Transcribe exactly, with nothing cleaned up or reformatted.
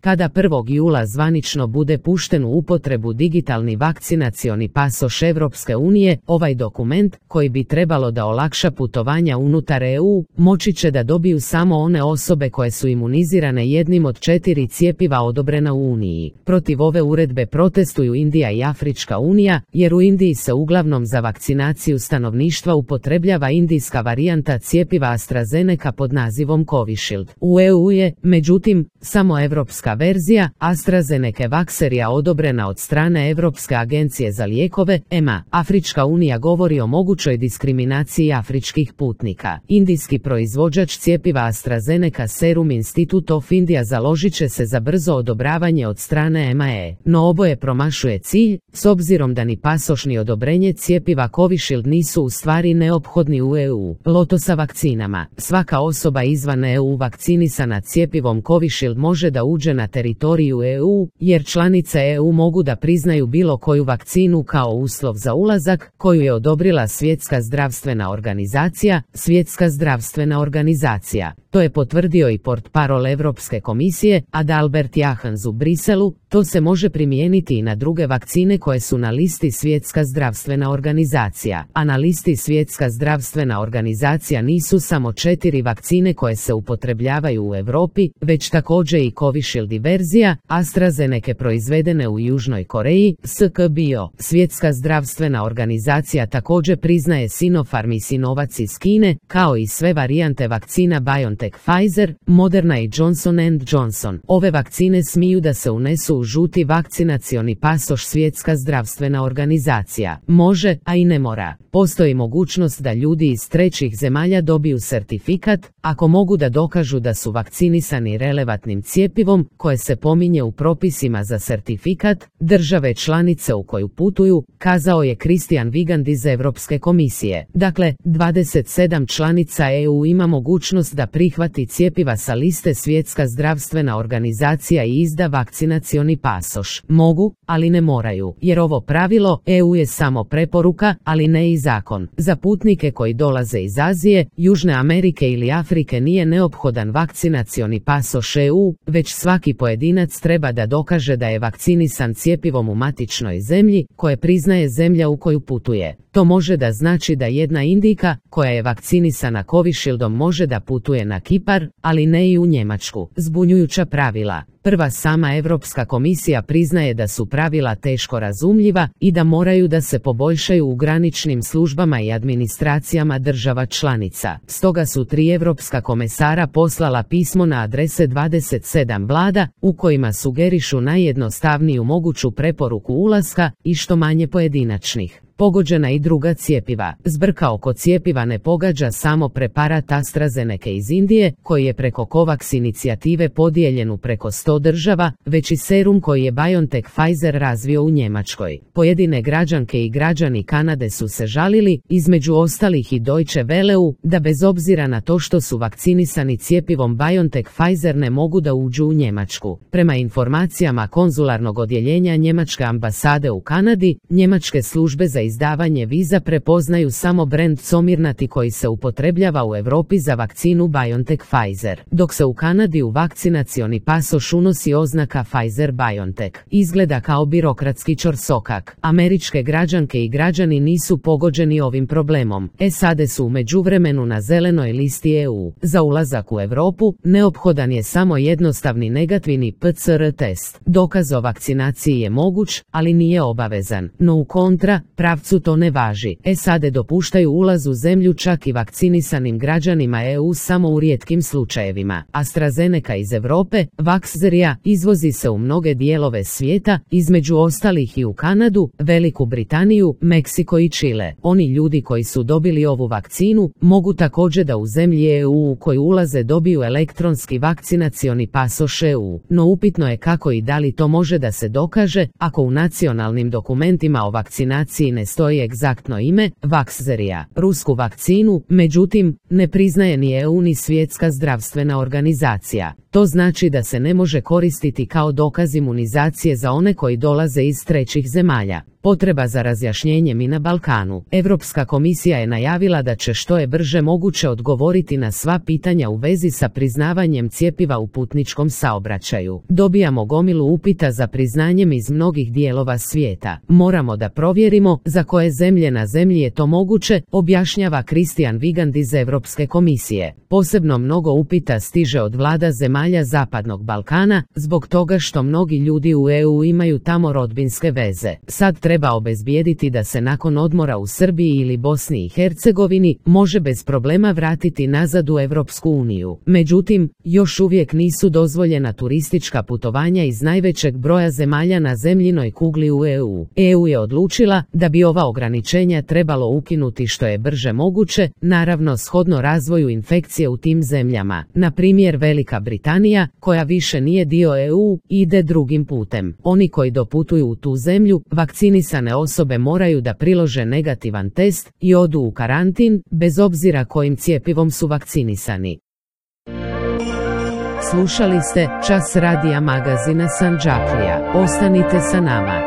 Kada prvog jula zvanično bude pušten u upotrebu digitalni vakcinacioni pasoš Evropske unije, ovaj dokument, koji bi trebalo da olakša putovanja unutar E U, moći će da dobiju samo one osobe koje su imunizirane jednim od četiri cjepiva odobrena u Uniji. Protiv ove uredbe protestuju Indija i Afrička unija, jer u Indiji se uglavnom za vakcinaciju stanovništva upotrebljava indijska varijanta cjepiva AstraZeneca pod nazivom Covishield. U E U je, međutim, samo evropska verzija AstraZeneca Vaxerija odobrena od strane Europske agencije za lijekove, E M A. Afrička unija govori o mogućoj diskriminaciji afričkih putnika. Indijski proizvođač cjepiva AstraZeneca Serum Institute of India založit će se za brzo odobravanje od strane E M A E, no oboje promašuje cilj, s obzirom da ni pasoš ni odobrenje cjepiva Covishield nisu u stvari neophodni u E U. Loto sa vakcinama. Svaka osoba izvan E U vakcinisana cjepivom Covishield može da uđe na teritoriju E U, jer članice E U mogu da priznaju bilo koju vakcinu kao uslov za ulazak, koju je odobrila Svjetska zdravstvena organizacija, Svjetska zdravstvena organizacija. To je potvrdio i portparol Europske komisije, Adalbert Jahans u Briselu. To se može primijeniti i na druge vakcine koje su na listi Svjetska zdravstvena organizacija. A na listi Svjetska zdravstvena organizacija nisu samo četiri vakcine koje se upotrebljavaju u Europi, već također i Covishield verzija AstraZeneca proizvedene u Južnoj Koreji, S K Bio. Svjetska zdravstvena organizacija također priznaje Sinopharm i Sinovac iz Kine, kao i sve varijante vakcina BioNTech, Pfizer, Moderna i Johnson and Johnson. Ove vakcine smiju da se unesu u žuti vakcinacioni pasoš Svjetska zdravstvena organizacija. Može, a i ne mora. Postoji mogućnost da ljudi iz trećih zemalja dobiju sertifikat, ako mogu da dokažu da su vakcinisani relevantnim cjepivom, koje se pominje u propisima za sertifikat države članice u koju putuju, kazao je Christian Vigand iz Europske komisije. Dakle, dvadeset sedam članica E U ima mogućnost da prihvati cjepiva sa liste Svjetska zdravstvena organizacija i izda vakcinacioni pasoš. Mogu, ali ne moraju, jer ovo pravilo E U je samo preporuka, ali ne i zakon. Za putnike koji dolaze iz Azije, Južne Amerike ili Afrike nije neophodan vakcinacioni pasoš E U, već svaki pojedinac treba da dokaže da je vakcinisan cjepivom u matičnoj zemlji, koje priznaje zemlja u koju putuje. To može da znači da jedna Indijka, koja je vakcinisana Covishieldom, može da putuje na Kipar, ali ne i u Njemačku. Zbunjujuća pravila. Prva sama Europska komisija priznaje da su pravila teško razumljiva i da moraju da se poboljšaju u graničnim službama i administracijama država članica. Stoga su tri europska komesara poslala pismo na adrese dvadeset sedam vlada, u kojima sugerišu najjednostavniju moguću preporuku ulaska i što manje pojedinačnih. Pogođena i druga cjepiva. Zbrka oko cjepiva ne pogađa samo preparat AstraZeneca iz Indije, koji je preko COVAX inicijative podijeljen u preko sto država, već i serum koji je BioNTech Pfizer razvio u Njemačkoj. Pojedine građanke i građani Kanade su se žalili, između ostalih i Deutsche Welleu, da bez obzira na to što su vakcinisani cjepivom BioNTech Pfizer ne mogu da uđu u Njemačku. Prema informacijama konzularnog odjeljenja Njemačke ambasade u Kanadi, njemačke službe za izdavanje viza prepoznaju samo brend Comirnaty koji se upotrebljava u Europi za vakcinu BioNTech Pfizer, dok se u Kanadi u vakcinacioni pasoš unosi oznaka Pfizer BioNTech. Izgleda kao birokratski ćorsokak. Američke građanke i građani nisu pogođeni ovim problemom. S A D su u međuvremenu na zelenoj listi E U. Za ulazak u Europu neophodan je samo jednostavni negativni P C R test. Dokaz o vakcinaciji je moguć, ali nije obavezan. No u kontra, pravcu to ne važi. S A D dopuštaju ulaz u zemlju čak i vakcinisanim građanima E U samo u rijetkim slučajevima. AstraZeneca iz Europe, Vaxzerija, izvozi se u mnoge dijelove svijeta, između ostalih i u Kanadu, Veliku Britaniju, Meksiko i Čile. Oni ljudi koji su dobili ovu vakcinu mogu također da u zemlji E U u koju ulaze dobiju elektronski vakcinacioni pasoš E U. No upitno je kako i da li to može da se dokaže ako u nacionalnim dokumentima o vakcinaciji ne stoji egzaktno ime Vaxzerija. Rusku vakcinu, međutim, ne priznaje ni E U ni Svjetska zdravstvena organizacija. To znači da se ne može koristiti kao dokaz imunizacije za one koji dolaze iz trećih zemalja. Potreba za razjašnjenjem i na Balkanu. Europska komisija je najavila da će što je brže moguće odgovoriti na sva pitanja u vezi sa priznavanjem cjepiva u putničkom saobraćaju. Dobijamo gomilu upita za priznanjem iz mnogih dijelova svijeta. Moramo da provjerimo za koje zemlje na zemlji je to moguće, objašnjava Christian Vigand iz Europske komisije. Posebno mnogo upita stiže od vlada zemalja Zapadnog Balkana, zbog toga što mnogi ljudi u E U imaju tamo rodbinske veze. Sad treba obezbijediti da se nakon odmora u Srbiji ili Bosni i Hercegovini može bez problema vratiti nazad u Europsku uniju. Međutim, još uvijek nisu dozvoljena turistička putovanja iz najvećeg broja zemalja na zemljinoj kugli u E U. E U je odlučila da bi ova ograničenja trebalo ukinuti što je brže moguće, naravno shodno razvoju infekcije u tim zemljama. Na primjer, Velika Britanija, koja više nije dio E U, ide drugim putem. Oni koji doputuju u tu zemlju, vakcinisane osobe moraju da prilože negativan test i odu u karantin, bez obzira kojim cjepivom su vakcinisani. Slušali ste Čas radija magazina Sandžaklija. Ostanite sa nama.